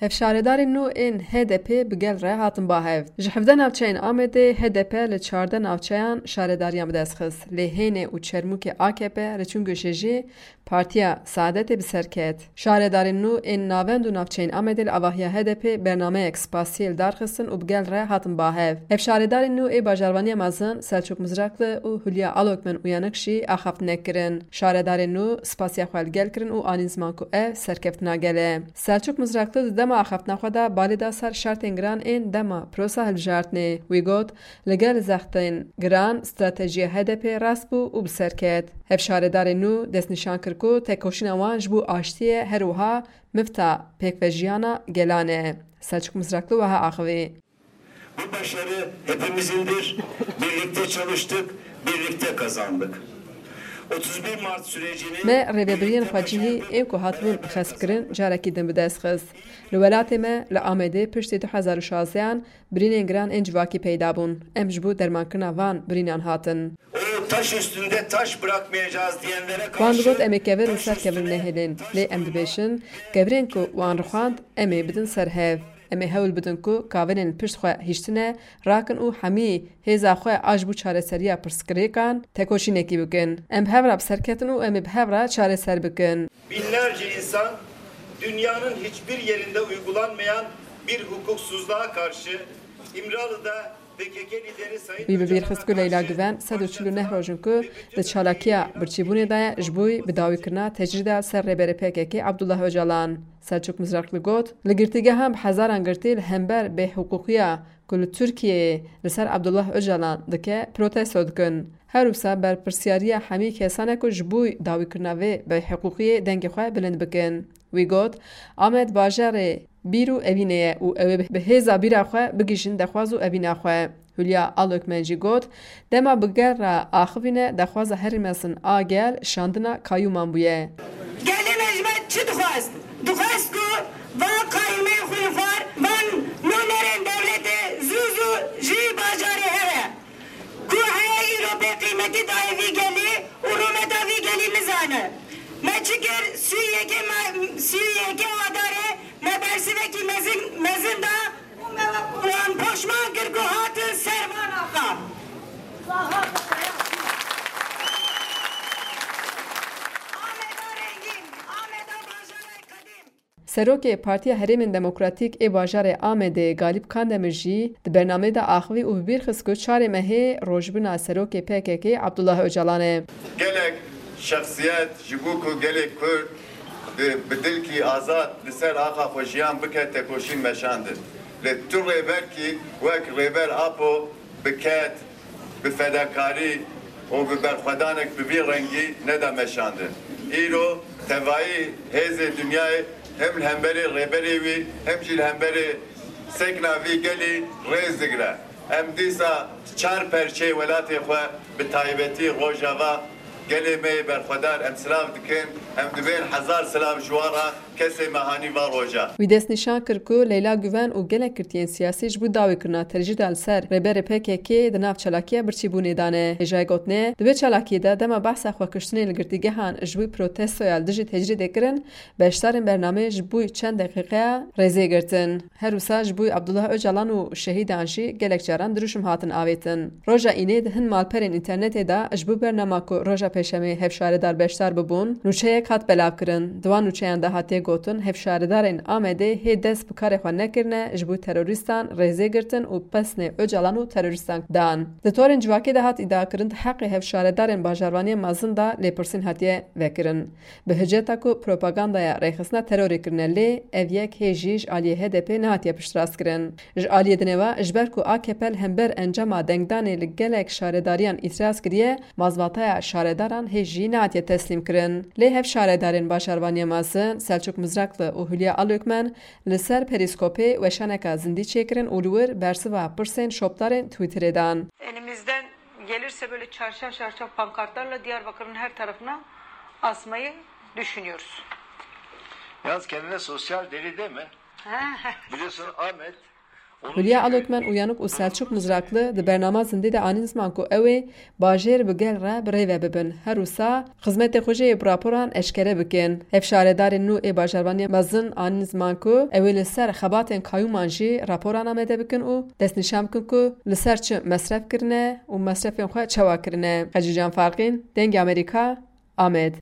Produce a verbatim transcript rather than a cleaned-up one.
Hevşaredarên nû ên H D P bi gel re hatin ba hev. Ji hevdeh navçeyên Amedê H D P li çardeh navçeyan şaredariyan bi dest xist. Lê Hênê û Çermûkê A K P, Reçûn Goşê jî Partiya Saadetê bi ser ket. Şaredarên nû ên navend û navçeyên Amedê li avahiya H D P bernameyek spasiyê li dar xistin û bi gel re hatin ba hev. Hevşaredarên nû ê bajarvaniya mezin Selçuk Mizrakli û Hülya Alokmen Uyanık jî axaftinek kirin. Şaredarên nû spasiya xwe li gel kirin û anîn ziman ku ev serkeftina gel e. Selçuk Mizrakli di dema axaftina xwe de balê da ser şertên giran ên dema prosa hilbijartinê. Wî got, li gel zextên giran stratejiya H D P rast bû û bi ser ket. Hevşaredarên nû destnîşan kir ku tekoşîna wan ji bo aştiyê her wiha mifta pêkvejiyana gelan e. Selçuk Mizrakli wiha axivî. Bu başarı hepimizindir. Birlikte çalıştık, birlikte kazandık. otuz bir Mart sürecini Me rêvebiriyên birlikte xwecihî başardık. Ên ku hatibûn xespkirin carekî din bi dest xist. Li welatê me li Amedê piştî du hezar û şazdehan birînên giran ên civakî peyda bûn. Em ji bo dermankirina van birînan hatin. O taş üstünde taş bırakmayacağız diyenlere karşı Wan digot em ê kevir li ser kevir nehêlin. Lê em dibêjin, kevirên ku wan rixwand em ê bidin ser hev. Em ê hewl bidin ku kavinên pişt xwe hiştine rakin û hemî hêza xwe a ji bo çareseriya pirsgirêkan tekoşînekî bikin. Em bi hev re bi ser ketin û em ê bi hev re çareser bikin. Binlerce insan dünyanın hiçbir yerinde uygulanmayan bir hukuksuzluğa karşı İmralı'da P K K lideri Sayın Wî bi bîr xist ku Leyla Güven sed û çil û neh roj in ku di çalakiya birçîbûnê de ye ji bo bi dawîkirina tecrîda ser rêberê P K K Abdullah Ocalan. Selçuk Mizrakli got, li girtîgehan bi hezaran girtî li hember bêhiqûqiya ku li Tirkiyeyê li ser Abdullah Ocalan dike protesto dikin. Her wisa berpirsiyariya hemî kesan e ku ji bo dawîkirina vê bêhiqûqiyê dengê xwe bilind bikin. Wî got, Amed bajarê bîr û evînê ye û ew ê bi hêza bîra xwe bigihîjin dexwaz û evîna xwe. Hülya Alokmen jî got, dema bi gel re axivîne dexwaza herî mezin a gel şandina kayûman bûye. Gelê me ji me çi dixwest? Dixwest ku van qayûmên xwînxwar, van nûnerên dewletê zû zû ji bajarê here. Ku heye îro bê qîmetî dayê vî gelî û rûmeta vî gelî nizane. Me çi kir? Sî û yekê me, sî û yekê Adarê me bersivekî mezin, mezin da û me wan poşman kir ku hatin ser van axa. Ameda rengîn, Ameda bajarê qedîm. Serokê Partiya Herêmên Demokratîk ê bajarê Amedê Galîp Kandemir jî di bernameyê de axivî û bi bîr xist ku çarê mehê rojbûna serokê P K K Abdullah Ocalan e. Gelek şexsiyet ji bo ku gelê Kurd bi, bi dilkî azad li ser axa xwe jiyan bike tekoşîn meşandin. Lê tu rêberkî wek Rêber Apo bi ked, bi fedakarî û bi berxwedanek bi vî rengî neda meşandin. Îro tevayî hêzê dinyayê hem li hemberî rêberê wî hem jî li hemberî sekna vî gelî rêz digire. Em dîsa çar perçeyê welatê xwe, bi taybetî Rojava, gelê me yê berxwedar em silav dikin, em dibên hezar silav ji wan re, kesê me hanî va roja. Wî destnîşan kir ku Leyla Guven û gelek girtiyên siyasî ji bo dawîkirina tecrîda li ser rêberê P K K di nav çalakiya birçîbûnê de ne. Hêjayê gotinê, di vê çalakiyê de dema behsa xwekuştinê li girtîgehan ji bo protestoya li dijî tecrîdê kirin, beşdarên bernameyê ji bo çend deqîqeya rêzê girtin. Her wisa ji bo Abdullah Ocalan û şehîdan jî gelek caran dirûşim hatin avêtin. Roja Înê di hin malperên înternetê de ji bo bernama ku roja Pêşemê hevşaredar beşdar bibûn, nûçeyek hat belavkirin. Di wan nûçeyan de hatiye gotin, hevşaredarên Amedê hê dest bi karê xwe nekirine, ji bo terorîstan rêzê girtin û pesnê Ocalan û terorîstan dan. Di torên civakê de hat îdiakirin, di heqê hevşaredarên bajarvaniyên mezin de lêpirsîn hatiye vekirin. Bi hiceta ku propagandaya rêxistina terorê kirine, lê ev yek hê jî ji aliyê H D P nehatiye piştrast kirin. Ji aliyê dinê ve, ji ber ku A K P li hember encama dengdanê li gelek şaredariyan îtiraz kiriye, mazbataya şaredaran hê jî nehatiye teslîm kirin. Lê hevşaredarên bajarvaniya mezin, Selçuk Mizrakli û Hülya Alökmen, li ser Perîskopê weşaneka zindî çêkirin û li wir bersiva pirsên şopdarên Twitterê dan. Elimizden gelirse böyle çarşaf çarşaf pankartlarla Diyarbakır'ın her tarafına asmayı düşünüyoruz. Yalnız kendine sosyal deli deme. Ha. Biliyorsun Ahmet Hulya Alokmen, Uyanık û Selçuk Mızraklı di bernama Zindî de anîn ziman ku ew ê bajêr bi gel re bi rê ve bibin. Her wisa xizmetê xwe jî bi raporan eşkere bikin. Hevşaredarên nû ê bajarvaniyê mezin anîn ziman ku ew ê li ser xebatên kayûman jî raporan amade bikin û destnîşan bikin ku li ser çi mesref kirine û mesrefên xwe çawa kirine. Xecîcan Farqîn, Dengê Amerîka, Amed.